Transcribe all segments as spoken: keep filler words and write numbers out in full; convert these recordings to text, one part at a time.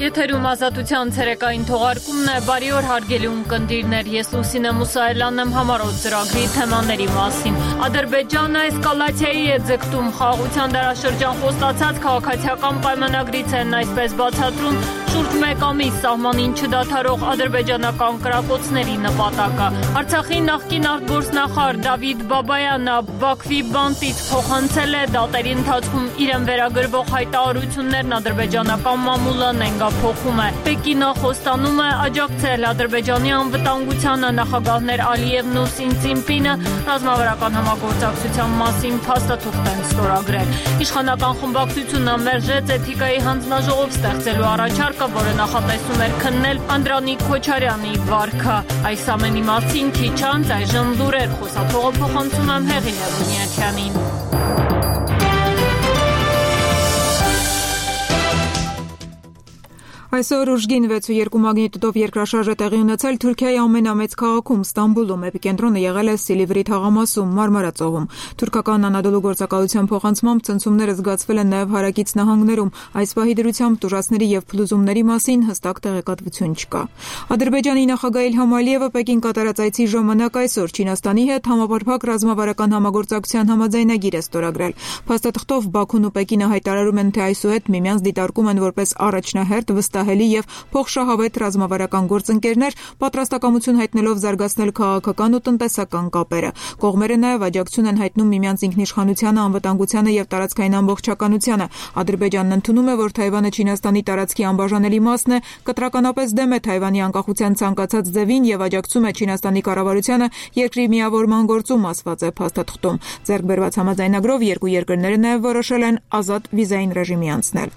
Եթերում ազատության ցերեկային թողարկումն է, բարի օր հարգելի ունկնդիրներ, ես Լուսինե Մուսայելյանն եմ համառոտ ծրագրի թեմաների մասին։ Ադրբեջանը էսկալացիայի է ձգտում, խաղաղության դարաշրջան խոստացած քաղաքացիական պայմանագրից են այսպես բացատրում շուրջ մեկ ամիս սահմանին չդադարող ադրբեջանական կրակոցների նպատակը։ Արցախի նախկին արտգործնախարար Դավիթ Բաբայանը Բաքվի բանտից փոխանցել է դատերի ընթացքում իրեն վերագրվող հայտարարություններն ադրբեջանական մամուլը նենգափոխում է։ Պեկինը խոստանում է աջակցել Ադրբեջանի անվտանգությանը, նախագահներ Ալիևն ու Սինցինպինը ռազմավարական համագործակցության մասին փաստաթուղթ են ստորագրել։ Իշխանական խմբակցությունը մերժեց էթիկայի հանձնաժողով ստեղծելու առաջարկը, որը նախատեսում էր քննել Անդրանիկ Քոչարյանի վարքը։ Այս ամենի մասին քիչ անց այժմ լուրեր, խոսափողը փոխանցում եմ Հեղինե Բունյաթյանին։ Այսօր ուժգին վեց ու երկու մագնիտուդով երկրաշարժ է տեղի ունեցել Թուրքիայի ամենամեծ քաղաքում Ստամբուլում, էպիկենտրոնը եղել է Սիլիվրի թաղամասում, Մարմարա ծովում։ Թուրքական Անադոլու գործակալության փոխանցմամբ ցնցումները զգացվել են նաև հարակից նահանգներում, այս պահի դրությամբ տուժածների եւ փլուզումների մասին հստակ տեղեկատվություն չկա։ Ադրբեջանի նախագահ Իլհամ Ալիևը Պեկին կատարած այցի ժամանակ այսօր Չինաստանի հետ համապարփակ ռազմավարական համագործակցության համաձայնագիր է ստորագրել։ Փաստաթղթով Բաքուն ու Պեկինը հայտարարում են, թե այսուհետ միմյանց դիտարկում են որպես առաջնահերթ վստահելի եւ փոխշահավետ ռազմավարական գործընկերներ, պատրաստակամություն հայտնելով զարգացնել քաղաքական ու տնտեսական կապերը։ Կողմերը նաև աջակցություն են հայտնում միմյանց ինքնիշխանությանը, անվտանգությանը եւ տարածքային ամբողջականությանը։ Ադրբեջանն ընդունում է, որ Թայվանը Չինաստանի տարածքի անբաժանելի մասն է, կտրականապես դեմ է Թայվանի անկախության ցանկացած ձևին եւ աջակցում է Չինաստանի կառավարությանը երկրի միավորման գործում, ասված է փաստաթղթում։ Ձեռք բերված համաձայնագրով երկու երկրները նաև որոշել են ազատ վիզային ռեժիմի անցնել։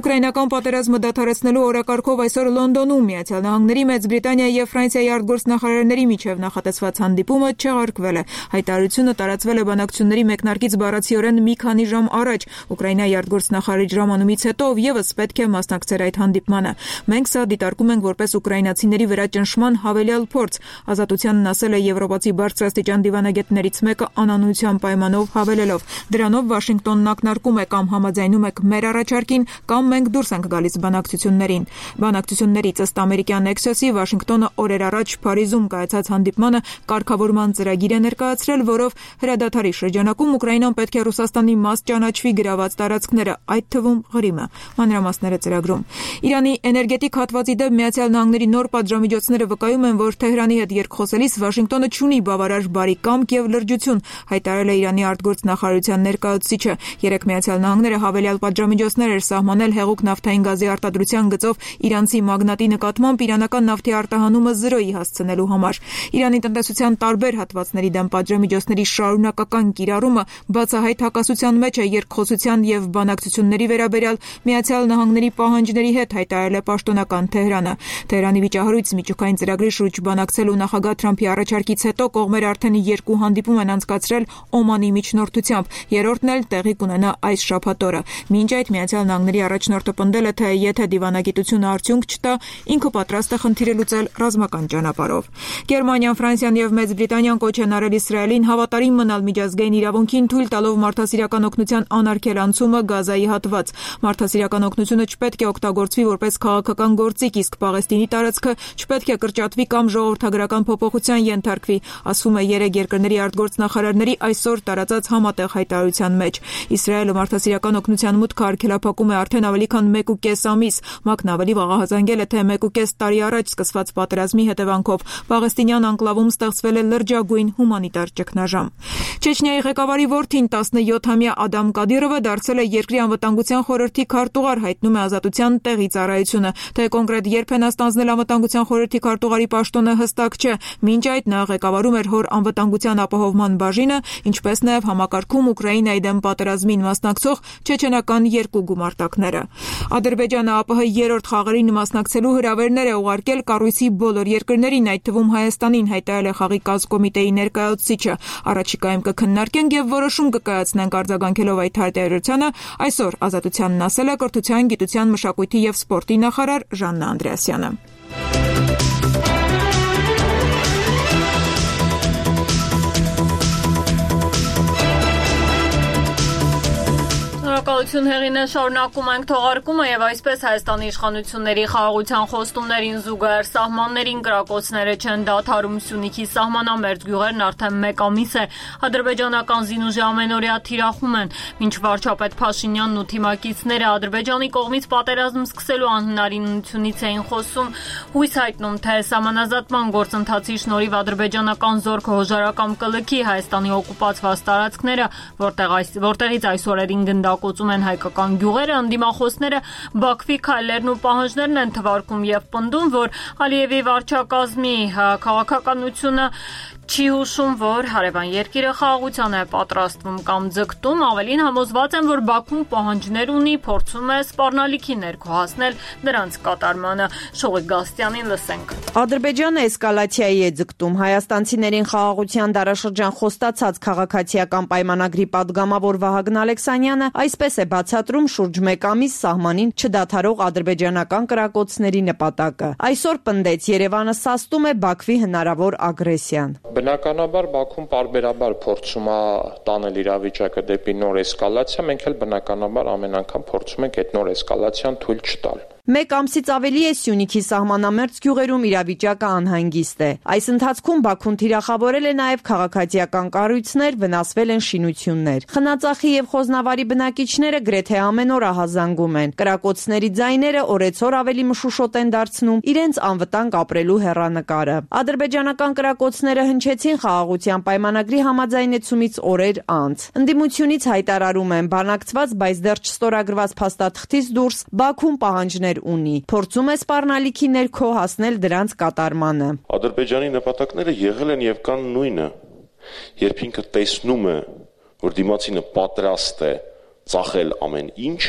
Ուկրաինական պատերազմը դադարեցնելու օրակարգով այսօր Լոնդոնում Միացյալ Նահանգների, Մեծ Բրիտանիայի եւ Ֆրանսիայի արտգործնախարարների միջև նախատեսված հանդիպումը չեղարկվել է։ Հայտարարությունը տարածվել է բանակցությունների մեկնարկից բառացիորեն մի քանի ժամ առաջ։ Ուկրաինայի արտգործնախարարի ժամանումից հետո եւս պետք է մասնակցեր այդ հանդիպմանը։ Մենք սա դիտարկում ենք որպես ուկրաինացիների վրա ճնշման հավելյալ փորձ, ազատությանն ասել է եվրոպացի բարձրաստիճան դիվանագետներից մեկը անանության պայմանով հավելելով։ Դրանով Վաշինգտոնն ակնարկում է կամ համաձայնում եք մեր առաջարկին, կամ մենք դուրս ենք գալիս բանակցություններին։ Բանակցություններից ըստ ամերիկյան Axios-ի Վաշինգտոնը օրեր առաջ Փարիզում կայացած հանդիպմանը կարգավորման ծրագիր է ներկայացրել, որով հրադադարի շրջանակում Ուկրաինան պետք է Ռուսաստանի մաս ճանաչվի գրաված տարածքները, այդ թվում Ղրիմը։ Մանրամասները ծրագրում։ Իրանի էներգետիկ հատվածի դեմ Միացյալ Նահանգների նոր պատժամիջոցները վկայում են, որ Թեհրանի հետ երկխոսելիս Վաշինգտոնը չունի բավարար բարի կամք եւ լրջություն, հայտարարել է Իրանի արտգործնախարարության ներկայացուցիչը։ Երեք Միացյալ Նահանգները հավելյալ պատժամիջոցներ էր սահմանել հեղուկ նավթային գազի արտադրության գծով իրանցի մագնատի նկատմամբ իրանական նավթի արտահանումը զրոյի հասցնելու համար։ Իրանի տնտեսության տարբեր հատվածների դեմ պատժամիջոցների շարունակական կիրառումը բացահայտ հակասության մեջ է երկխոսության եւ բանակցությունների վերաբերյալ Միացյալ Նահանգների պահանջների հետ, հայտարարել է պաշտոնական Թեհրանը։ Թեհրանի վիճահարույց միջուկային ծրագրի շուրջ բանակցելու նախագահ Թրամփի առաջարկից հետո կողմերը արդեն երկու հանդիպում են անցկացրել Օմանի միջնորդությամբ, երրորդն էլ տեղի կունենա այս շաբաթ օրը։ Մինչ այդ Միացյալ Նահանգների առաջնորդը պնդել է, թե եթե դիվանագիտությունը արդյունք չտա, ինքը պատրաստ է խնդիրը լուծել ռազմական ճանապարհով։ Գերմանիան, Ֆրանսիան եւ Մեծ Բրիտանիան կոչ են արել Իսրայելին հավատարիմ մնալ միջազգային իրավունքին, թույլ տալով մարդասիրական օգնության անարգել անցումը Գազայի հատված։ Մարդասիրական օգնությունը չպետք է օգտագործվի որպես քաղաքական գործիք, իսկ Պաղեստինի տարածքը չպետք է կրճատվի կամ ժողովրդագրական փոփոխության ենթարկվի, ասվում է երեք երկրների արտգործնախարարների այսօր տարածած համատեղ հայտարարության մեջ։ Իսրայելը մարդասիրական օգնության մուտքը արգելափակում է արդեն ավելի քան մեկ ու կես ամիս։ ՄԱԿ-ն ավելի վաղահազանգել է, թե մեկ ու կես տարի առաջ սկսված պատերազմի հետևանքով Պաղեստինյան անկլավում ստեղծվել է լրջագույն հումանիտար ճգնաժամ։ Չեչնիայի ղեկավարի որդին տասնյոթամյա Ադամ Կադիրովը դարձել է երկրի անվտանգության խորհրդի քարտուղար, հայտնում է Ազատության տեղի ծառայությունը։ Թե կոնկրետ երբ են ստանձնել անվտանգության խորհրդի քարտուղարի պաշտոնը հստակ չէ։ Մինչ այդ նա ղեկավարում էր հոր անվտանգության ապահովման բաժինը, ինչպես նաև համակարգում Ուկրաինայի դեմ պատերազմին մասնակցող չեչենական երկու գումարտակները։ Ադրբեջանը ԱՊՀ երրորդ խաղերին մասնակցելու հրավերներ է ուղարկել կառույցի բոլոր երկրներին, այդ թվում Հայաստանին, հայտարարել է խաղի կազմկոմիտեի ներկայացուցիչը։ Առաջիկայում կքննարկենք եւ որոշում կկայացնենք արձագանքելով այդ հայտարարությանը, այսօր Ազատությանն ասել է կրթության, գիտության, մշակույթի եւ սպորտի նախարար Ժաննա Անդրեասյանը։ Շնորհակալություն Հեղինե, շարունակում ենք թողարկումը եւ այսպես Հայաստանի իշխանությունների խաղաղության խոստումներին զուգահեռ սահմաններին կրակոցները չեն դադարում։ Սյունիքի սահմանամերձ գյուղերն արդեն մեկ ամիս է ադրբեջանական զինուժի ամենօրյա թիրախում են։ Մինչ վարչապետ Փաշինյանն ու թիմակիցները Ադրբեջանի կողմից պատերազմ սկսելու անհնարինությունից էին խոսում, հույս հայտնում, թե սահմանազատման գործընթացի շնորհիվ ադրբեջանական զորքը հոժարակամ կլքի Հայաստանի օկուպացված տարածքները, որտեղ այս որտեղից այս օրերին գնդակոծում են հայկական գյուղերը, ընդդիմախոսները Բաքվի քայլերն ու պահանջներն են թվարկում եւ պնդում, որ Ալիևի վարչակազմի քաղաքականությունը չի հուշում, որ հարևան երկիրը խաղաղության է պատրաստվում կամ ձգտում, ավելին համոզված են, որ Բաքուն պահանջներ ունի, փորձում է սպառնալիքի ներքո հասնել նրանց կատարմանը։ Շողիկ Գաստյանին լսենք։ Ադրբեջանը էսկալացիայի է ձգտում։ Հայաստանցիներին խաղաղության դարաշրջան խոստացած քաղաքացիական պայմանագրի պատգամավոր Վահագն Ալեքսանյանը այսպես է բացատրում շուրջ մեկ ամիս սահմանին չդադարող ադրբեջանական կրակոցների նպատակը։ Այսօր պնդեց Երևանը սաստում է Բաքվի հնարավոր ագրեսիան։ Բնականաբար Բաքուն պարբերաբար փորձում է տանել իրավիճակը դեպի նոր էսկալացիա, մենք էլ բնականաբար ամեն անգամ փորձում ենք այդ նոր էսկալացիան թույլ չտալ։ Մեկ ամսից ավելի է Սյունիքի սահմանամերձ գյուղերում իրավիճակը անհանգիստ է։ Այս ընթացքում Բաքուն թիրախավորել է նաև քաղաքացիական կառույցներ, վնասվել են շինություններ։ Խնածախի եւ Խոզնավարի բնակիչները գրեթե ամեն օր ահազանգում են։ Կրակոցների ձայները օրեցօր ավելի մշուշոտ են դարձնում իրենց անվտանգ ապրելու հեռանկարը։ Ադրբեջանական կրակոցները հնչեցին խաղաղության պայմանագրի համաձայնեցումից օրեր անց։ Ընդդիմությունից հայտարարում են բանակցված, բայց դեռ չստորագրված փաստաթղթից դուրս Բաքուն պահանջներ ունի, փորձում է սպառնալիքի ներքո հասնել դրանց կատարմանը։ Ադրբեջանի նպատակները եղել են եւ կան նույնը։ Երբ ինքը տեսնում է, որ դիմացինը պատրաստ է ծախել ամեն ինչ,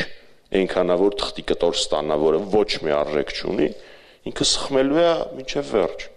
այնքանավոր թղթի կտոր ստանա, որը ոչ մի արժեք չունի, ինքը սխմելու է մինչև վերջ։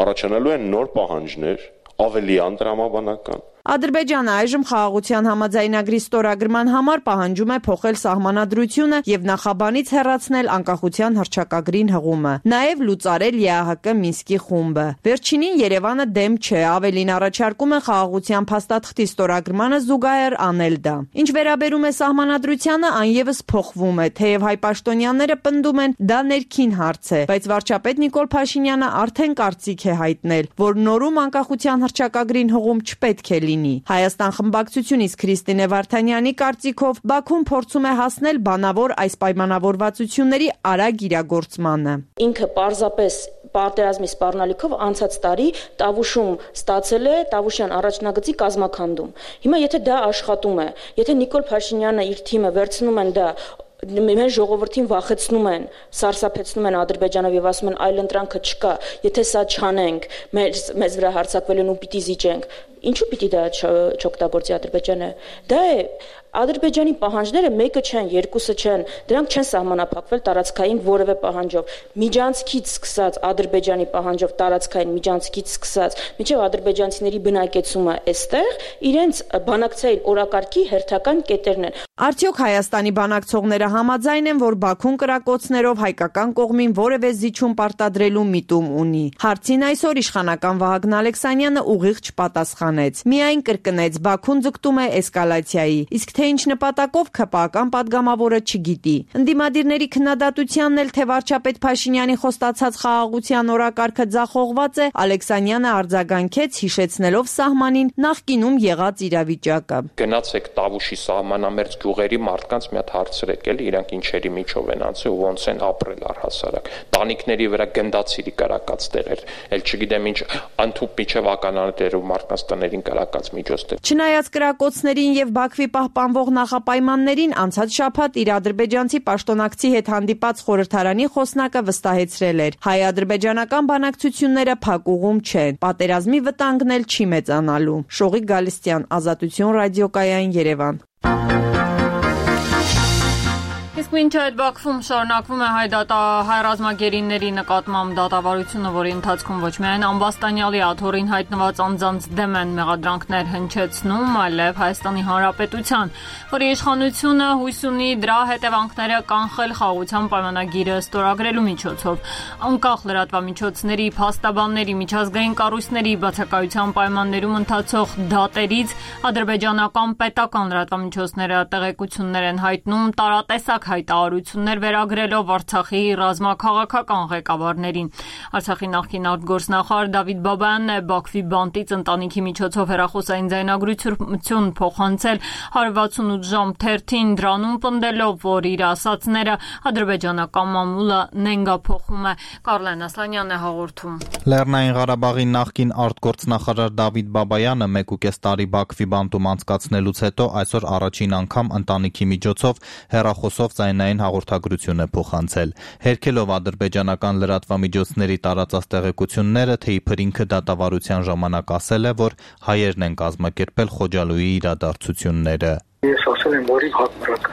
Առաջանալու են նոր պահանջներ, ավելի անդրամաբանական։ Ադրբեջանը այժմ խաղաղության համաձայնագրի ստորագրման համար պահանջում է փոխել սահմանադրությունը եւ նախաբանից հեռացնել անկախության հռչակագրին հղումը, նաեւ լուծարել ԵԱՀԿ Մինսկի խումբը։ Վերջինին Երևանը դեմ չէ, ավելին առաջարկում է խաղաղության փաստաթղթի ստորագրմանը զուգահեռ անել դա։ Ինչ վերաբերում է սահմանադրությանը, անևս փոխվում է, թեև հայ պաշտոնյաները պնդում են դա ներքին հարց է, բայց վարչապետ Նիկոլ Փաշինյանը արդեն կարծիք է հայտնել, որ նորում անկախության հռչակագրին հղում չպետք է լինի։ Հայաստան խմբակցությունից Քրիստինե Վարդանյանի կարծիքով Բաքուն փորձում է հասնել բանավոր այս պայմանավորվածությունների արագ իրագործմանը։ Ինքը պարզապես պատերազմի սպառնալիքով անցած տարի Տավուշում ստացել է Տավուշյան առաջնագծի կազմաքանդում։ Հիմա եթե դա աշխատում է, եթե Նիկոլ Փաշինյանը իր թիմը վերցնում են դա մեր ժողովրդին վախեցնում են, սարսափեցնում են Ադրբեջանով եւ ասում են այլ ընտրանքը չկա, եթե սա չանենք, մեզ մեզ վրա հարձակվել են ու պիտի զիջենք։ Ինչու պիտի դա չօգտագործի Ադրբեջանը։ Դա է Ադրբեջանի պահանջները մեկը չեն, երկուսը չեն, դրանք չեն սահմանափակվել տարածքային որևէ պահանջով։ Միջանցքից սկսած Ադրբեջանի պահանջով տարածքային միջանցքից սկսած, մինչև ադրբեջանցիների բնակեցումը այստեղ իրենց բանակցային օրակարգի հերթական կետերն են։ Արդյոք Հայաստանի բանակցողները համաձայն են, որ Բաքուն կրակոցներով հայկական կողմին որևէ զիջում պարտադրելու միտում ունի։ Հարցին այսօր իշխանական Վահագն Ալեքսանյանը ուղիղ չպատասխանեց։ Միայն կրկնեց Բաքուն ձգտում է էսկալացիայի, իսկ թե ինչ նպատակով ՔՊԱ-կան պատգամավորը չգիտի։ Ընդդիմադիրների քննադատությանն էլ թե վարչապետ Փաշինյանի խոստացած խաղաղության օրակարգը ձախողված է, Ալեքսանյանը արձագանքեց, հիշեցնելով սահմանին նախկինում եղած իրավիճակը։ Գնացեք Տավուշի սահմանամերձ գյուղերի մարդկանց մի հատ հարցրեք, էլի իրանք ինչերի միջով են անցել ու ոնց են ապրել առհասարակ։ Տանիքների վրա գնդացիրի կարակած տեղեր, էլ չգիտեմ ինչ անթուփ միջև ականանետերով մարդկանց տներին կարակած միջոցներ։ Չնայած կրակոցներին եւ Բաքվի պահպանվող նախապայմաններին անցած շաբաթ իր ադրբեջանցի պաշտոնակցի հետ հանդիպած խորհրդարանի խոսնակը վստահեցրել էր. հայ-ադրբեջանական բանակցությունները փակուղում չեն, պատերազմի վտանգն էլ չի մեծանալու։ Շողիկ Գալստյան, Ազատություն ռադիոկայան, Երևան։ Իսկ Մինչ այդ Բաքվում շարունակվում է հայ դատա հայ ռազմագերիների նկատմամբ դատավարությունը, որի ընթացքում ոչ միայն ամբաստանյալի աթոռին հայտնված անձանց դեմ են մեղադրանքներ հնչեցնում, այլև Հայաստանի Հանրապետության, որի իշխանությունը հույս ունի դրա հետևանքները կանխել խաղաղության պայմանագիրը ստորագրելու միջոցով։ Անկախ լրատվամիջոցների, փաստաբանների, միջազգային կառույցների բացակայության պայմաններում ընթացող դատերից ադրբեջանական պետական լրատվամիջոցները տեղեկություններ են հայտնում տարատեսակ հայտարարություններ վերագրելով Արցախի ռազմաքաղաքական ղեկավարներին։ Արցախի նախկին արտգործնախարար Դավիթ Բաբայանն է Բաքվի բանտից ընտանիքի միջոցով հեռախոսային ձայնագրություն փոխանցել one sixty-eight ժամ թերթին, դրանում պնդելով, որ իր ասածները ադրբեջանական մամուլը նենգափոխում է։ Կարլեն Ասլանյանն է հաղորդում։ Լեռնային Ղարաբաղի նախկին արտգործնախարար Դավիթ Բաբայանը մեկ ու կես տարի Բաքվի բանտում անցկացնելուց հետո այսօր առաջին անգամ ընտանիքի միջոցով հեռախոսով ձայնային հաղորդագրություն է փոխանցել։ Հերքելով ադրբեջանական լրատվամիջոցների տարածած տեղեկությունները, թե իբր ինքը դատավարության ժամանակ ասել է, որ հայերն են կազմակերպել Խոջալույի իրադարձությունները։ Ես ասել եմ, որ հակառակ։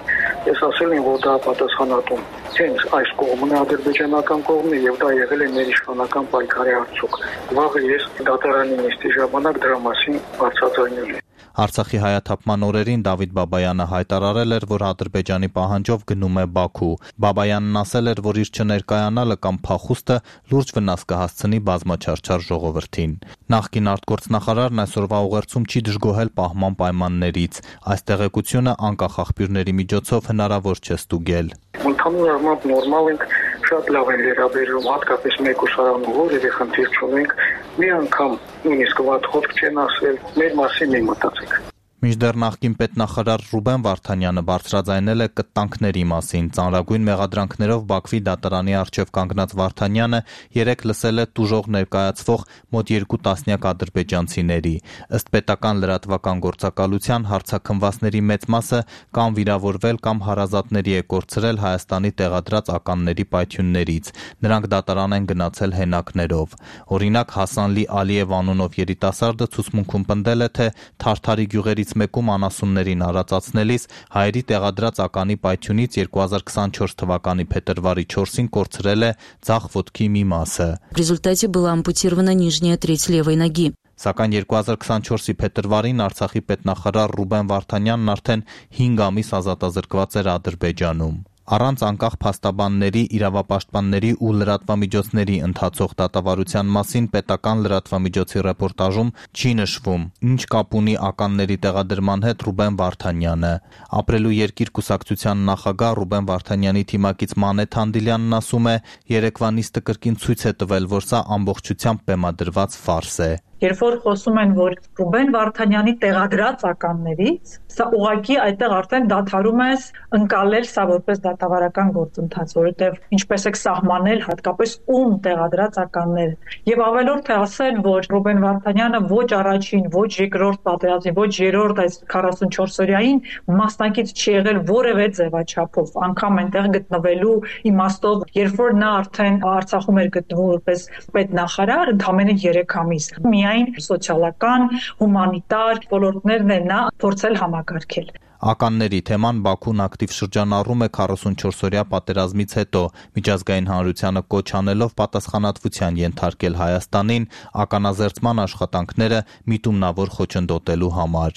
Ես ասել եմ, որ դա պատասխանատուն հենց այս կողմն է, ադրբեջանական կողմն է, եւ դա եղել է մեր իշխանական պայքարի արդյունք։ Վաղը ես դատարանի նիստի ժամանակ դրա մասին բարձրաձայնել եմ։ Արցախի հայաթափման օրերին Դավիթ Բաբայանը հայտարարել էր, որ Ադրբեջանի պահանջով գնում է Բաքու։ Բաբայանն ասել էր, որ իր չներկայանալը կամ փախուստը լուրջ վնաս կհասցնի բազմաչարչար ժողովրդին։ Նախկին արտգործնախարարն այսօրվա ուղերձում չի դժգոհել պահման պայմաններից։ Այս տեղեկությունը անկախ աղբյուրների միջոցով հնարավոր չէ ստուգել։ Ընդհանուր առմամբ նորմալ ենք, շատ լավ են վերաբերում, հատկապես մեկ ուսարանում որևէ խնդիր չունենք, մի անգամ նույնիսկ վատ խոսք չեն ասել, մեր մասին մի մտածեք։ Մինչդեռ նախկին պետնախարար Ռուբեն Վարդանյանը բարձրաձայնել է կտանքների մասին։ Ծանրագույն մեղադրանքներով Բաքվի դատարանի առջև կանգնած Վարդանյանը երեկ լսել է տուժող ներկայացվող մոտ երկու տասնյակ ադրբեջանցիների։ Ըստ պետական լրատվական գործակալության հարցաքննվածների մեծ մասը կամ վիրավորվել կամ հարազատների է կորցրել Հայաստանի տեղադրած ականների պայթյուններից։ Նրանք դատարան են գնացել հենակներով։ Օրինակ Հասանլի Ալիև անունով երիտասարդը ցուցմունքում պնդել է, թե Թարթարի գյուղերից մեկում անասուններին արածացնելիս հայերի տեղադրած ականի պայթյունից երկու հազար քսանչորս թվականի փետրվարի չորսին կորցրել է ձախ ոտքի մի մասը։ В результате была ампутирована нижняя треть левой ноги. Սակայն երկու հազար քսանչորսի փետրվարին Արցախի պետնախարար Ռուբեն Վարդանյանն արդեն հինգ ամիս ազատազրկված էր Ադրբեջանում։ Առանց անկախ փաստաբանների, իրավապաշտպանների ու լրատվամիջոցների ընթացող դատավարության մասին պետական լրատվամիջոցի ռեպորտաժում չի նշվում։ Ինչ կապ ունի ականների տեղադրման հետ Ռուբեն Վարդանյանը։ Ապրելու երկիր կուսակցության նախագահ Ռուբեն Վարդանյանի թիմակից Մանեթ Հանդիլյանն ասում է, երեկվա նիստը կրկին ցույց է տվել, որ սա ամբողջությամբ բեմադրված ֆարս է։ Երբ որ խոսում են, որ Ռուբեն Վարդանյանի տեղադրած ականներից, սա ուղղակի այդտեղ արդեն դադարում ես ընկալել սա որպես դատավարական գործընթաց, որովհետև ինչպես եք սահմանել հատկապես ում տեղադրած ականները։ Եվ ավելորդ է ասել, որ Ռուբեն Վարդանյանը ոչ առաջին, ոչ երկրորդ պատերազմի, ոչ երրորդ այս քառասունչորս օրյային մասնակից չի եղել որևէ ձևաչափով, անգամ այնտեղ գտնվելու իմաստով, երբ որ նա արդեն Արցախում էր գտնվում որպես պետնախարար, ընդամենը երեք ամիս։ Սոցիալական, հումանիտար ոլորտներն են նա փորձել համակարգել։ Ականների թեման Բաքուն ակտիվ շրջանառում է քառասունչորսօրյա պատերազմից հետո, միջազգային հանրությանը կոչ անելով պատասխանատվության ենթարկել Հայաստանին ականազերծման աշխատանքները միտումնավոր խոչընդոտելու համար։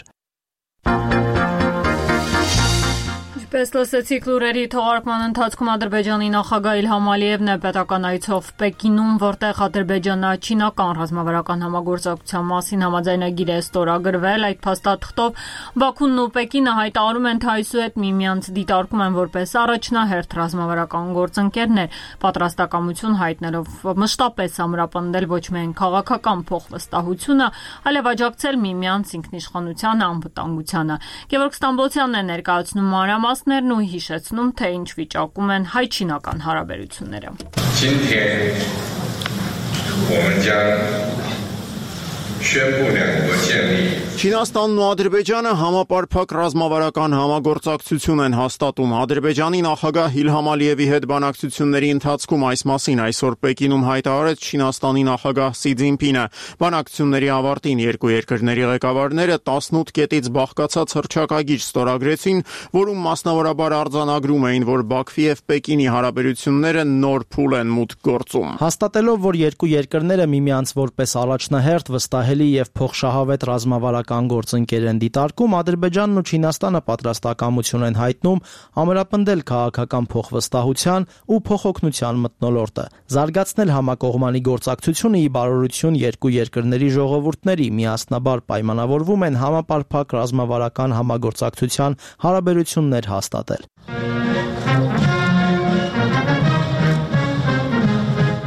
Պես լսեցիք լուրերի թողարկման ընթացքում Ադրբեջանի նախագահ Իլհամ Ալիևն է պետական այցով Պեկինում, որտեղ ադրբեջանա-չինական ռազմավարական համագործակցության մասին համաձայնագիր է ստորագրվել։ Այդ փաստաթղթով Բաքուն ու Պեկինը հայտարարում են, թե այսուհետ միմյանց դիտարկում են որպես առաջնահերթ ռազմավարական գործընկերներ, պատրաստակամություն հայտնելով մշտապես ամրապնդել ոչ միայն քաղաքական փոխվստահությունը, այլև աջակցել միմյանց ինքնիշխանությանը, անվտանգությանը։ Գևորգ Ստամբոլցյանն է ներկայացնում մանրամասներն ու հիշեցնում, թե ինչ վիճակում են հայ-չինական հարաբերությունները։ 今天我们将宣布两国建立 Չինաստանն ու Ադրբեջանը համապարփակ ռազմավարական համագործակցություն են հաստատում։ Ադրբեջանի նախագահ Իլհամ Ալիևի հետ բանակցությունների ընթացքում այս մասին այսօր Պեկինում հայտարարեց Չինաստանի նախագահ Սի Ցզինպինը։ Բանակցությունների ավարտին երկու երկրների ղեկավարները տասնութ կետից բաղկացած հռչակագիր ստորագրեցին, որում մասնավորաբար արձանագրում էին, որ Բաքվի եւ Պեկինի հարաբերությունները նոր փուլ են մուտք գործում։ Հաստատելով, որ երկու երկրները միմյանց որպես առաջնահերթ, վստահելի եւ փոխշահավետ ռազմավարական գործընկեր են դիտարկում, Ադրբեջանն ու Չինաստանը պատրաստակամություն են հայտնում ամրապնդել քաղաքական փոխվստահության ու փոխօգնության մթնոլորտը, զարգացնել համակողմանի գործակցությունը ի բարօրություն երկու երկրների ժողովուրդների, միասնաբար պայմանավորվում են համապարփակ ռազմավարական համագործակցության հարաբերություններ հաստատել։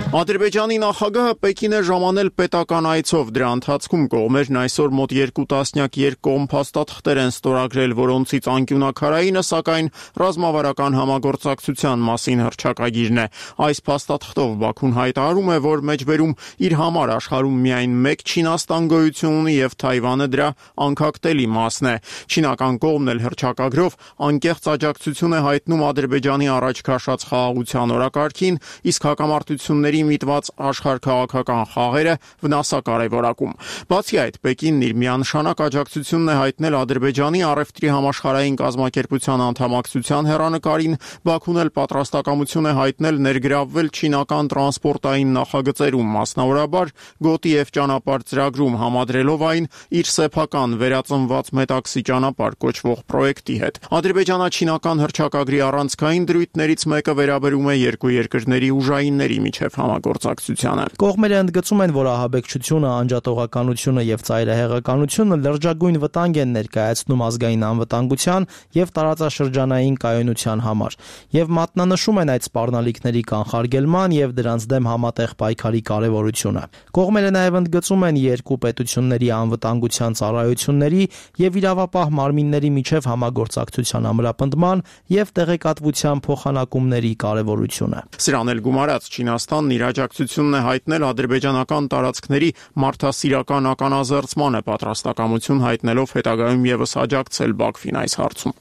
Ադրբեջանի նախագահը Պեկին է ժամանել պետական այցով։ Դրա ընթացքում կողմերն այսօր մոտ երկու տասնյակ երկկողմ փաստաթղթեր են ստորագրել, որոնցից անկյունաքարայինը, սակայն ռազմավարական համագործակցության մասին հռչակագիրն է։ Այս փաստաթղթով Բաքուն հայտարարում է, որ մեջբերում իր համար աշխարհում միայն մեկ Չինաստան գոյություն ունի եւ Թայվանը դրա անկախտելի մասն է։ Չինական կողմն էլ հռչակագրով անկեղծ աջակցություն է հայտնում Ադրբեջանի առաջ քաշած խաղաղության օրակարգին, իսկ հակամարտությունների միտված աշխարհքաղաքական խաղերը վնասակարևորակում։ Բացի այդ, Պեկինն իր միանշանակ աջակցությունն է հայտնել Ադրբեջանի առևտրի համաշխարհային կազմակերպության անդամակցության հեռանկարին, Բաքուն էլ պատրաստակամություն է հայտնել ներգրավվել չինական տրանսպորտային նախագծերում, մասնավորաբար գոտի եւ ճանապարհ ծրագրում, համադրելով այն իր սեփական վերածնված մետաքսի ճանապարհ կոչվող պրոյեկտի հետ։ Ադրբեջանա-չինական հռչակագրի առանցքային դրույթներից մեկը վերաբերում է երկու երկրների ուժայինների միջև համագործակցությանը։ Կողմերը ընդգծում են, որ ահաբեկչությունը, անջատողականությունը եւ ծայրահեղականությունը լրջագույն վտանգ են ներկայացնում ազգային անվտանգության եւ տարածաշրջանային կայունության համար, եւ մատնանշում են այդ սպառնալիքների կանխարգելման եւ դրանց դեմ համատեղ պայքարի կարեւորությունը։ Կողմերը նաեւ ընդգծում են երկու պետությունների անվտանգության ծառայությունների եւ իրավապահ մարմինների միջև համագործակցության ամրապնդման եւ տեղեկատվության փոխանակումների կարեւորությունը։ Սրան էլ գումարած Չինաստանն իր աջակցությունն է հայտնել ադրբեջանական տարածքների մարդասիրական ականազերծմանը, պատրաստակամություն հայտնելով հետագայում եւս աջակցել Բաքվին այս հարցում։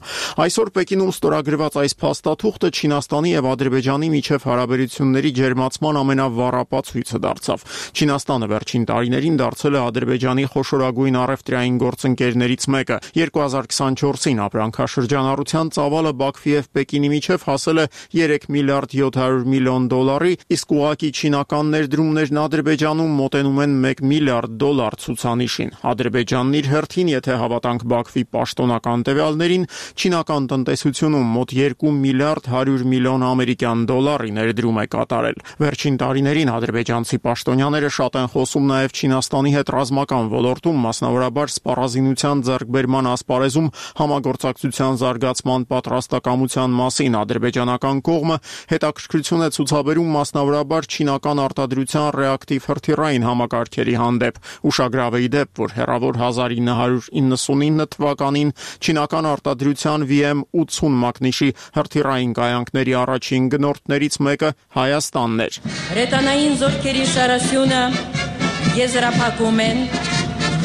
Այսօր Պեկինում ստորագրված այս փաստաթուղթը Չինաստանի եւ Ադրբեջանի միջև հարաբերությունների ջերմացման ամենավառապացույցը դարձավ։ Չինաստանը վերջին տարիներին դարձել է Ադրբեջանի խոշորագույն առևտրային գործընկերներից մեկը։ երկու հազար քսանչորսին ապրանքաշրջանառության ծավալը Բաքվի եւ Պեկինի միջև հասել է երեք միլիարդ յոթ հարյուր միլիոն դոլարի, իսկ ուղղակի չինական ներդրումներն Ադրբեջանում մոտենում են մեկ միլիարդ դոլար ցուցանիշին։ Ադրբեջանն իր հերթին, եթե հավատանք Բաքվի պաշտոնական տվյալներին, չինական տնտեսությունում մոտ երկու միլիարդ հարյուր միլիոն ամերիկյան դոլարի ներդրում է կատարել։ Վերջին տարիներին ադրբեջանցի պաշտոնյաները շատ են խոսում նաև Չինաստանի հետ ռազմական ոլորտում, մասնավորաբար սպառազինության ձեռքբերման ասպարեզում համագործակցության զարգացման պատրաստակամության մասին։ Ադրբեջանական կողմը հետաքրքրություն է ցուցաբերում մասնավորաբար չինական արտադրության ռեակտիվ հրթիռային համակարգերի հանդեպ։ Ուշագրավ է ի դեպ, որ հեռավոր հազար ինը հարյուր իննսունինը թվականին չինական արտադրության վի էմ ութսուն մակնիշի հրթիռային կայանքների առաջին գնորդներից մեկը Հայաստանն էր։ Հրետանային զորքերի շարասյունը եզրափակում են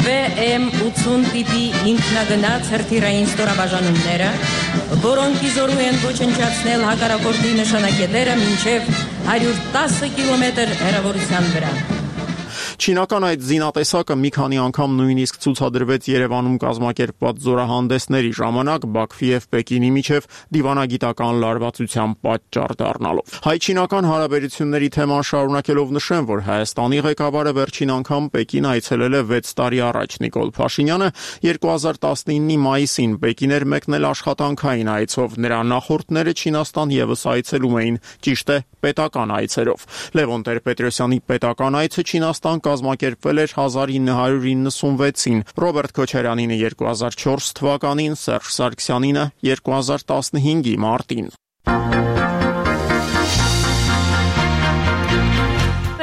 վի էմ ութսուն տիպի ինքնագնաց հրթիռային ստորաբաժանումները, որոնք իզորու են ոչնչացնել հակառակորդի նշանակետերը մինչև հարյուր տասը կիլոմետր հեռավորության վրա։ Չինական այդ զինատեսակը մի քանի անգամ նույնիսկ ցուցադրվեց Երևանում կազմակերպված զորահանդեսների ժամանակ Բաքվի եւ Պեկինի միջև դիվանագիտական լարվածության պատճառ դառնալով։ Հայ-չինական հարաբերությունների թեման շարունակելով նշեմ, որ Հայաստանի ղեկավարը վերջին անգամ Պեկին այցելել է վեց տարի առաջ։ Նիկոլ Փաշինյանը երկու հազար տասնինի մայիսին Պեկին էր մեկնել աշխատանքային այցով։ Նրա նախորդները Չինաստան եւս այցելում էին, ճիշտ է, պետական այցերով։ Լևոն Տեր-Պետրոսյանի պետական այցը Չինաստան կազմակերպվել էր հազար ինը հարյուր իննսունվեցին, Ռոբերտ Քոչարյանինը երկու հազար չորս թվականին, Սերժ Սարգսյանինը երկու հազար տասնհինգի մարտին։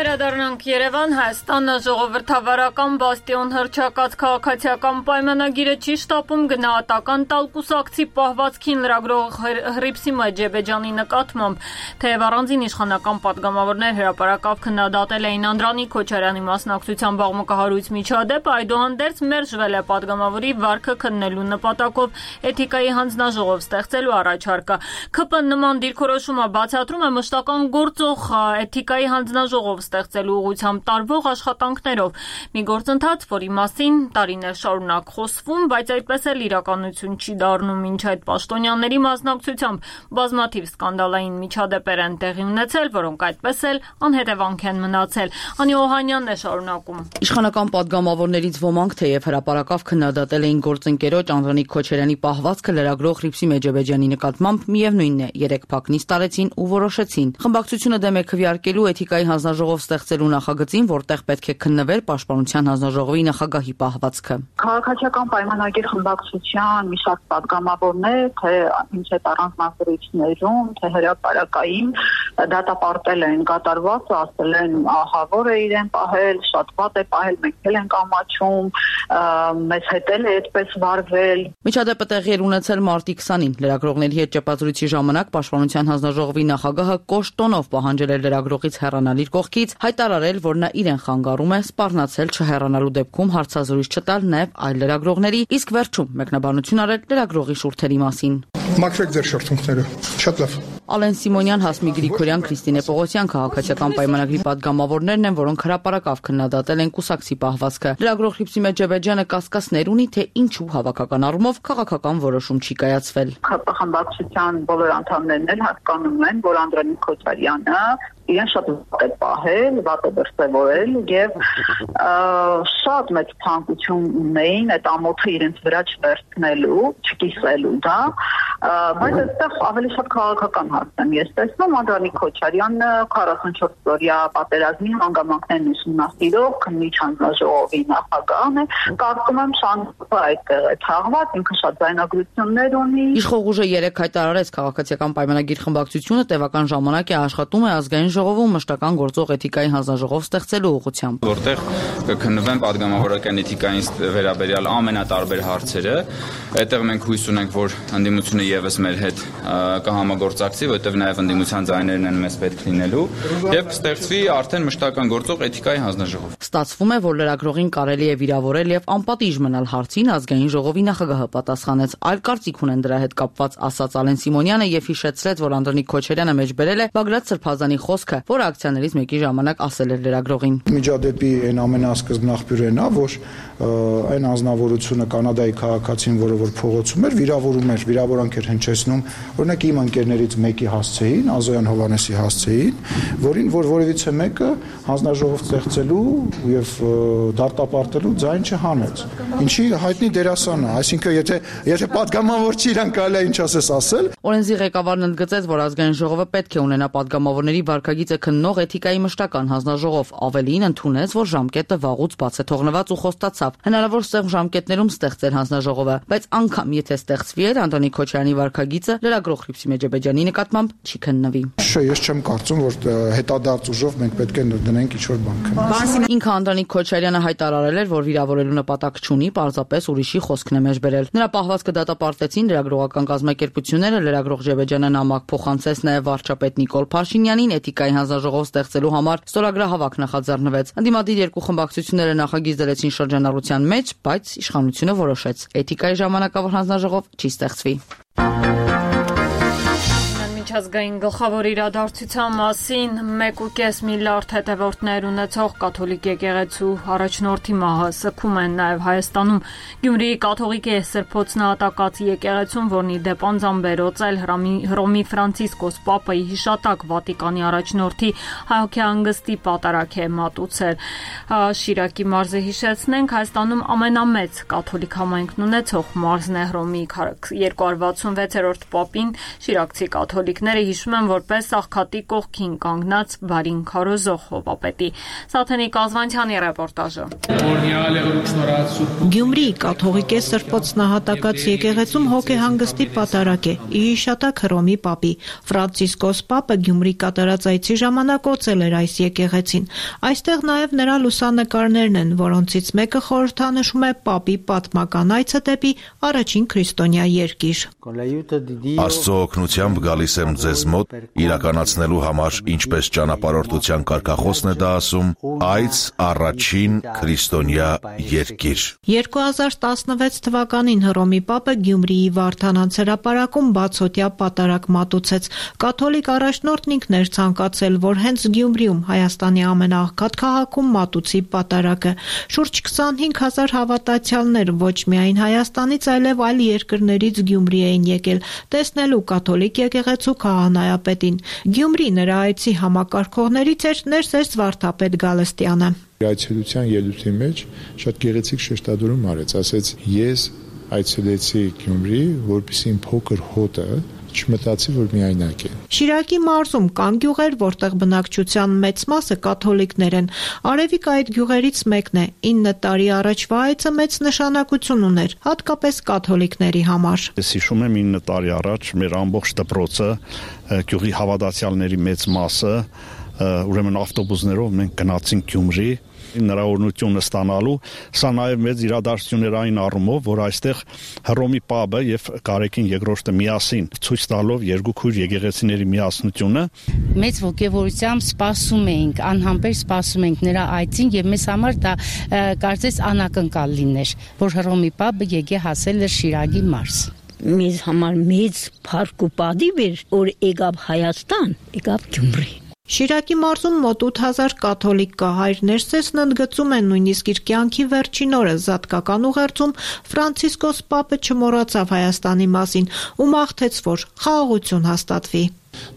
Վերադառնանք Երևան, Հայաստանը ժողովրդավարական բաստիոն հռչակած քաղաքացիական պայմանագիրը չի շտապում գնահատական տալ կուսակցի պահվածքին լրագրող Հռիփսիմե Ջեբեջյանի նկատմամբ, թեև առանձին իշխանական պատգամավորներ հրապարակավ քննադատել էին Անդրանիկ Քոչարյանի մասնակցությամբ աղմկահարույց միջադեպը, այդուհանդերձ մերժվել է պատգամավորի վարքը քննելու նպատակով էթիկայի հանձնաժողով ստեղծելու առաջարկը։ ՔՊ-ն նման դիրքորոշումը բացատրում է մշտական գործող էթիկայի հանձնաժողով ստեղծելու ուղղությամբ տարվող աշխատանքներով։ Մի գործընթաց, որի մասին տարիներ շարունակ խոսվում, բայց այդպես էլ իրականություն չի դառնում, ինչ այդ պաշտոնյաների մասնակցությամբ բազմաթիվ սկանդալային միջադեպեր են տեղի ունեցել, որոնք այդպես էլ անհետևանք են մնացել։ Անի Օհանյանն է շարունակում։ Իշխանական պատգամավորներից ոմանք թեև հրապարակավ քննադատել էին գործընկերոջ Անդրանիկ Քոչարյանի պահվածքը լրագրող Հռիփսիմե Ջեբեջյանի նկատմամբ, միևնույնն է, երեք փակնից տարեցին ու որոշեցին խմբակցությունը դեմ է քվեարկելու էթիկայի հանձնաժողով ստեղծելու նախագծին, որտեղ պետք է քննվեր Պաշտպանության հանձնաժողովի նախագահի պահվածքը։ Քաղաքացիական պայմանագիր խմբակցության մի շարք պատգամավորներ, թե ինչ է առանձնահատկություններում, թե հրապարակային դատապարտել են կատարվածը, ասել են ահա որ է իրեն պահել, շատ վատ է պահել, մենք էլ ենք ամաչում, մեզ հետ էլ է այդպես վարվել։ Միջադեպը տեղի էր ունեցել մարտի քսանին։ Լրագրողների հետ ճեպազրույցի ժամանակ Պաշտպանության հանձնաժողովի նախագահը կոշտ տոնով պահանջել էր լրագրողից հեռանալ իր կողքից, հայտարարել, որ նա իրեն խանգարում է, սպառնացել չհեռանալու դեպքում հարցազրույց չտալ նաև այլ լրագրողների, իսկ վերջում մեկնաբանություն արել լրագրողի շուրթերի մասին։ Մաքրեք ձեր շուրթերը, շատ լավ։ Ալեն Սիմոնյան, Հասմիկ Գրիգորյան, Քրիստինե Պողոսյան քաղաքացիական պայմանագրի պատգամավորներն են, որոնք հրապարակավ քննադատել են կուսակցի պահվածքը։ Լրագրող Հռիփսիմե Ջեբեջյանը կասկածներ ունի, թե ինչու հավաքական առումով քաղաքական որոշում չի կայացվել։ ՔՊ խմբակցության բոլոր անդամներն էլ հասկանում են, որ Անդրանիկ Քոչարյանը իրեն շատ վատ է պահել, վատ է դրսևորել եւ շատ մեծ ցանկություն ունեին այդ ամոթը իրենց վրա չվերցնելու, չկիսելու դա, բայց այստեղ ավելի շատ քաղաքական հարց եմ ես տեսնում։ Անդրանիկ Քոչարյանը քառասունչորս օրյա պատերազմի հանգամանքներն ուսումնասիրող քննիչ հանձնաժողովի նախագահն է, կարծում եմ շանսը այդտեղ է թաղված, ինքը շատ ձայնագրություններ ունի։ Իշխող ուժը երեք հայտարարեց քաղաքացիական պայմանագիր խմբակցությունը տևական ժամանակ է աշխատում է ազգային ժողովում մշտական գործող էթիկայի հանձնաժողով ստեղծելու ուղղությամբ, որտեղ կքննվեն պատգամավորական էթիկային վերաբերյալ ամենատարբեր հարցերը։ Այդտեղ մենք հույս ունենք, որ ընդդիմությունը եւս մեր հետ կհամագործակցի, որտեղ նաեւ ընդդիմության ձայներն են մեզ պետք լինելու, եւ կստեղծվի արդեն մշտական գործող էթիկայի հանձնաժողով։ Ստացվում է, որ լրագրողին կարելի է վիրավորել եւ անպատիժ մնալ հարցին ազգային ժողովի նախագահը պատասխանեց։ Այլ կարծիք ունեն դրա հետ կապված, ասաց Ալեն Սիմոնյանը եւ հիշեցրեց, որ Անդրանիկ Քոչարյանը մեջբերել է Բագրատ Սրբազանի խոսքը, որ ակցիաներից մեկի ժամանակ ասել էր լրագրողին։ Միջադեպի այն ամենասկզբն աղբյուրն է, որ այն անձնավորությունը կանադայի քաղաքացին, որը որ փողոցում էր, վիրավորում էր, վիրավորանք էր հնչեցնում, օրինակ իմ ընկերներից մեկի հասցեին, Ազոյան Հովանեսի հասցեին, որին որ որևիցե մեկը հանձնաժողով ստեղծելու եւ դատապարտելու ձայն չհանեց։ Ինչի հայտնի դերասան է, այսինքն եթե եթե պատգամավոր չի իրան կարելի է ինչ ասես ասել։ Օրենսի ղեկավարն ընդգծեց, որ ազգային ժողովը պետք է ունենա պատգամավորների վարքագիծը քննող էթիկայի մշտական հանձնաժողով, ավելին ընդունեց, որ ժամկետը վաղուց բաց է թողնված ու խոստացավ հնարավոր սեղմ ժամկետներում ստեղծել հանձնաժողովը, բայց անգամ եթե ստեղծվի էր Անդրանիկ Քոչարյանի վարքագիծը լրագրող Հռիփսիմե Ջեբեջյանի նկատմամբ չի քննվի։ Չէ, ես չեմ կարծում, որ հետադարձ ուժով մենք պետք է դնենք ինչ-որ բան քննի։ Ինքը Անդրանիկ Քոչարյանը հայտարարել էր, որ վիրավորելու նպատակ չունի, պարզապես ուրիշի խոսքն է մեջբերել։ Նրա պահվածքը դատապարտեցին լրագրողական կազմակերպությունները, լրագրող Ջեբեջյանը նամակ փոխանցեց նաև վարչապետ Նիկոլ Փաշինյանին, էթիկայի հանձնաժողով ստեղծելու համար ստորագրահավաք նախաձեռնվեց։ Ընդդիմադիր երկու խմբակցությունները նախագիծ դրեցին շրջանառության մեջ, բայց իշխանությունը որոշեց էթիկայի ժամանակավոր հանձնաժողով չի ստեղծվի։ Միջազգային գլխավոր իրադարձության մասին մեկ ու կես միլիարդ հետևորդներ ունեցող կաթոլիկ եկեղեցու առաջնորդի մահը սգում են նաև Հայաստանում։ Գյումրիի կաթողիկ Սրբոց նահատակած եկեղեցուն, որն ի դեպ անձամբ էլ Հռոմի Ֆրանցիսկոս Պապայի հիշատակ Վատիկանի առաջնորդի հայհոքեհանգստի պատարագ է մատուցել։ Շիրակի մարզը հիշեցնենք, Հայաստանում ամենամեծ կաթոլիկ համայնքն ունեցող մարզն է Հռոմի երկու հարյուր վաթսունվեցերորդ Պապին Շիրակցի կաթոլիկ կաթոլիկները հիշում են որպես աղքատի կողքին կանգնած բարին քարոզող Հովվապետի։ Սաթենիկ Ազվանցյանի ռեպորտաժը։ Գյումրիի կաթողիկե Սրբոց նահատակած եկեղեցում հոգեհանգստի պատարակ է՝ ի հիշատակ Հռոմի պապի։ Ֆրանցիսկոս պապը Գյումրի կատարած այցի ժամանակ օծել էր այս եկեղեցին։ Այստեղ նաև նրա լուսանկարներն են, որոնցից մեկը խորհրդանշում է պապի պատմական այցը դեպի առաջին քրիստոնյա երկիր։ Աստծո օգնությամբ գալիս եմ ձեզ մոտ իրականացնելու համար, ինչպես ճանապարհորդության կարգախոսն է դա ասում, այց առաջին քրիստոնյա երկիր։ երկու հազար տասնվեց թվականին Հռոմի պապը Գյումրիի Վարդանանց հրապարակում բացօթյա պատարակ մատուցեց։ Կաթոլիկ առաջնորդն ինքն էր ցանկացել, որ հենց Գյումրիում Հայաստանի ամենաաղքատ քաղաքում մատուցի պատարակը։ Շուրջ քսանհինգ հազար հավատացյալներ ոչ միայն Հայաստանից, այլև այլ երկրներից Գյումրի էին եկել տեսնելու կաթոլիկ եկեղեցու քահանայապետին։ Գյումրի նրա այցի համակարգողներից էր ներսես վարդապետ Գալստյանը։ Այցելության ելույթի մեջ շատ գեղեցիկ շեշտադրում արեց, ասեց ես այցելեցի Գյումրի, որպեսզի իմ փոքր հոտը չմտածի, որ միայնակ է։ Շիրակի մարզում կան գյուղեր, որտեղ բնակչության մեծ մասը կաթոլիկներ են։ Արևիկը այդ գյուղերից մեկն է։ ինը տարի առաջվա այցը մեծ նշանակություն ուներ, հատկապես կաթոլիկների համար։ Ես հիշում եմ ինը տարի առաջ մեր ամբողջ դպրոցը, գյուղի հավատացյալների մեծ մասը, ուրեմն ավտոբուսներով մենք գնացինք Գյումրի նրաօրնությունը ստանալու, սա նաև մեծ իրադարձություն էր այն առումով, որ այստեղ Հռոմի պապը եւ Կարեկին երկրորդը միասին ցույց տալով երկու քույր եկեղեցիների միասնությունը մեծ ողջավորությամբ սպասում էինք, անհամբեր սպասում էինք նրա այցին եւ մեզ համար դա կարծես անակնկալ լիներ, որ Հռոմի պապը եկե հասել էր Շիրակի մարզ։ Մեզ համար մեծ փառք ու պատիվ էր, որ եկավ Հայաստան, եկավ Գյումրի։ Շիրակի մարզում մոտ ութ հազար կաթոլիկ կա, հայր ներսեսն ընդգծում են նույնիսկ իր կյանքի վերջին օրը զատկական ուղերձում Ֆրանցիսկոս պապը չմոռացավ Հայաստանի մասին ու մաղթեց, որ խաղաղություն հաստատվի։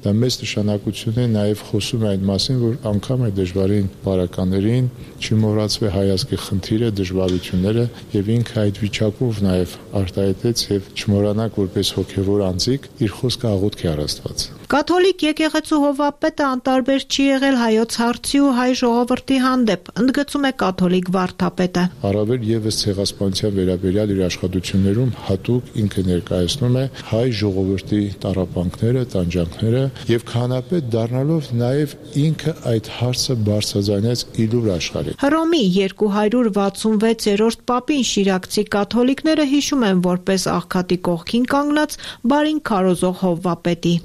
Դա մեծ նշանակություն է, նաև խոսում է այն մասին, որ անգամ այդ դժվարին բարականերին չմոռացվի հայազգի խնդիրը, դժվարությունները եւ ինքը այդ վիճակով նաև արտահայտեց եւ չմոռանաք որպես հոգեվոր անձիկ իր խոսքը աղոթքի առաստված։ Կաթոլիկ եկեղեցու Հովվապետը անտարբեր չի եղել հայոց հարցի ու հայ ժողովրդի հանդեպ, ընդգծում է կաթոլիկ վարդապետը։ Առավել եւս ցեղասպանության վերաբերյալ իր աշխատություններում հատուկ ինքը ներկայացնում է հայ ժողովրդի տառապանքները, տանջանքները եւ քահանապետ դառնալով նաեւ ինքը այդ հարցը բարձրաձայնեց իլուր աշխարհի։ Հռոմի երկու հարյուր վաթսունվեցերորդ պապին շիրակցի կաթոլիկները հիշում են որպես աղքատի կողքին կանգնած բարին քարոզող Հովվապետի։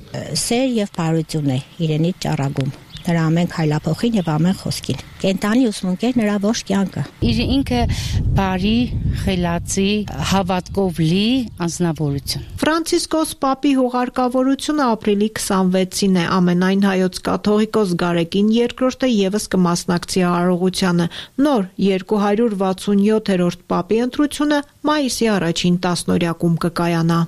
Սեր եւ բարություն է իրենից ճառագում։ Նրա ամեն քայլափոխին եւ ամեն խոսքին։ Կենտանի ուսմունքեր նրա ողջ կյանքը։ Իր ինքը բարի, խելացի, հավատքով լի անձնավորություն։ Ֆրանցիսկոս պապի հուղարկավորությունը ապրիլի քսանվեցին է, ամենայն հայոց կաթողիկոս Գարեգին երկրորդը եւս կմասնակցի արարողությանը։ Նոր երկու հարյուր վաթսունյոթերորդ պապի ընտրությունը մայիսի առաջին տասնօրյակում կկայանա։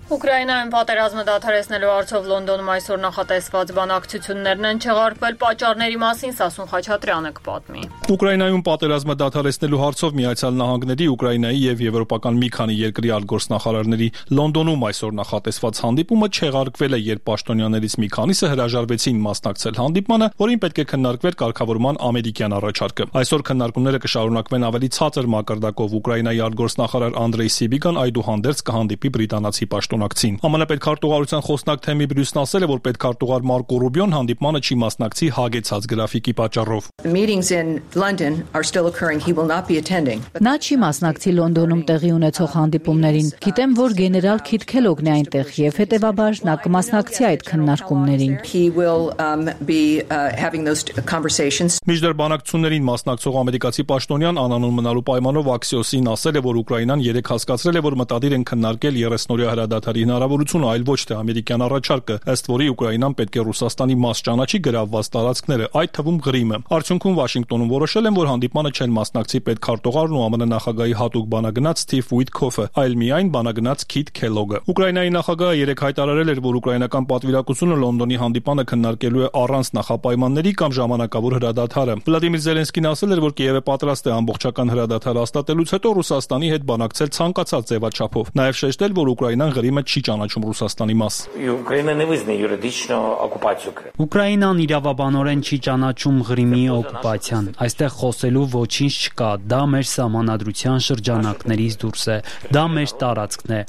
Ուկրաինայում պատերազմը դադարեցնելու հարցով Լոնդոնում այսօր նախատեսված բանակցություններն են չեղարկվել, պատճառների մասին Սասուն Խաչատրյանը կպատմի։ Ուկրաինայում պատերազմը դադարեցնելու հարցով Միացյալ Նահանգների, Ուկրաինայի եւ եվրոպական մի քանի երկրի արտգործնախարարների Լոնդոնում այսօր նախատեսված հանդիպումը չեղարկվել է, երբ պաշտոնյաներից մի քանիսը հրաժարվեցին մասնակցել հանդիպմանը, որին պետք է քննարկվեր կարգավորման ամերիկյան առաջարկը։ Այսօր քննարկումները կշարունակվեն ավելի ցածր մակարդակով։ Ուկրաինայի արտգործնախարար Անդրեյ Սիբիգան այդուհանդերձ կհանդիպի բրիտանացի պաշտոնակցին։ ԱՄՆ պետքարտուղարության խոսնակ Թեմի Բրյուսն ասել է, որ պետքարտուղար Մարկո Ռուբիոն հանդիպմանը չի մասնակցի հագեցած գրաֆիկի պատճառով։ Նա չի մասնակցի Լոնդոնում տեղի ունեցող հանդիպումներին։ Գիտեմ, որ գեներալ Քիթ Քելոգն է այնտեղ եւ հետեւաբար նա կմասնակցի այդ քննարկումներին։ Միջդեռ բանակցություններին մասնակցող ամերիկացի պաշտոնյան անանուն մնալու պայմանով Axios-ին ասել է, որ Ուկրաինան երեք հասկացրել է, որ մտադիր են քննարկել երեսնօրյա հրադադարի հրադադարի հնարավորությունը, այլ ոչ թե ամերիկյան առաջարկը, ըստ որի Ուկրաինան պետք է Ռուսաստանի մաս ճանաչի գրավված տարածքները, այդ թվում Ղրիմը։ Արդյունքում Վաշինգտոնում որոշել են, որ հանդիպմանը չեն մասնակցի պետքարտուղարն ու ԱՄՆ նախագահի հատուկ բանագնաց Սթիվ Ուիթքոֆը, այլ միայն բանագնաց Քիթ Քելոգը։ Ուկրաինայի նախագահը երեկ հայտարարել էր, որ ուկրաինական պատվիրակությունը Լոնդոնի հանդիպանը քննարկելու է առանց նախապայմանների կամ ժամանակավոր հրադադարը։ Վլադիմիր Զելենսկին ասել էր, որ Կիևը պատրաստ է ամբողջական հրադադար հաստատելուց հետո Ռուսաստանի հետ բանակցել ցանկացած ձևաչափով։ Նաև շեշտել, որ Ուկրաինան Ղրիմը չի ճանաչում Ռուսաստանի մաս։ Ուկրաինան իրավաբանորեն չի ճանաչում Ղրիմի օկուպացիան։ Այստեղ խոսելու ոչինչ չկա։ Դա մեր սահմանադրության շրջանակներից դուրս է։ Դա մեր տարածքն է։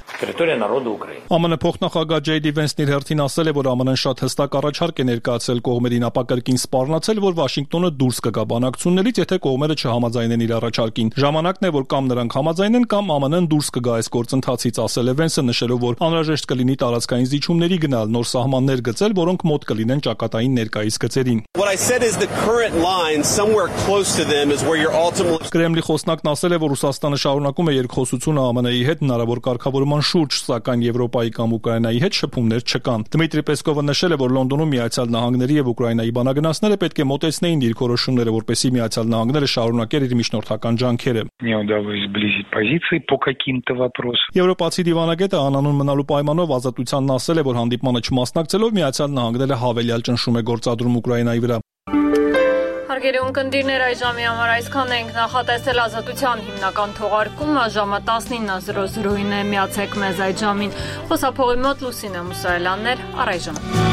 ԱՄՆ փոխնախագահ Ջեյ Դի Վենսն իր հերթին ասել է, որ ԱՄՆ-ն շատ հստակ առաջարկ է ներկայացրել կողմերին, ապա կրկին սպառնացել, որ Վաշինգտոնը դուրս կգա բանակցություններից, եթե կողմերը չհամաձայնեն իր առաջարկին։ Ժամանակն է, որ կամ նրանք համաձայնեն, կամ ԱՄՆ-ն դուրս կգա այս գործընթացից, ասել է Վենսը, նշելով, որ անհրաժեշտ կլինի տարածքային զիջումների գնալ, նոր սահմաններ գծել, որոնք մոտ կլինեն ճակատային ներկայիս գծերին։ Կրեմլի խոսնակն ասել է, որ Ռուսաստանը շարունակում է երկխոսությունը ԱՄՆ-ի հետ հնարավոր կարգավորման շուրջ, սակայն Եվրոպայի կամ Ուկրաինայի հետ շփումներ չկան։ Դմիտրի Պեսկովը նշել է, որ Լոնդոնում Միացյալ Նահանգների եւ Ուկրաինայի բանագնացները պետք է մոտեցնեին դիրքորոշումները, որպեսզի Միացյալ Նահանգները շարունակեր իր միջնորդական ջանքերը։ Եվրոպացի դիվանագետը անանուն մնալու պայմանով Ազատությանն ասել է, որ հանդիպմանը չմասնակցելով Միացյալ Նահանգները հավելյալ ճնշում է գործադրում Ուկրաինայի վրա։ Հարգելի ունկնդիրներ, այս ժամի համար այսքան ենք, նախատեսել Ազատության հիմնական թողարկումը ժամը տասնինը զրո զրոին է, միացեք մեզ այդ ժամին։ Խոսափողի մոտ Լուսինե Մուսայելյաններ, առայժմ։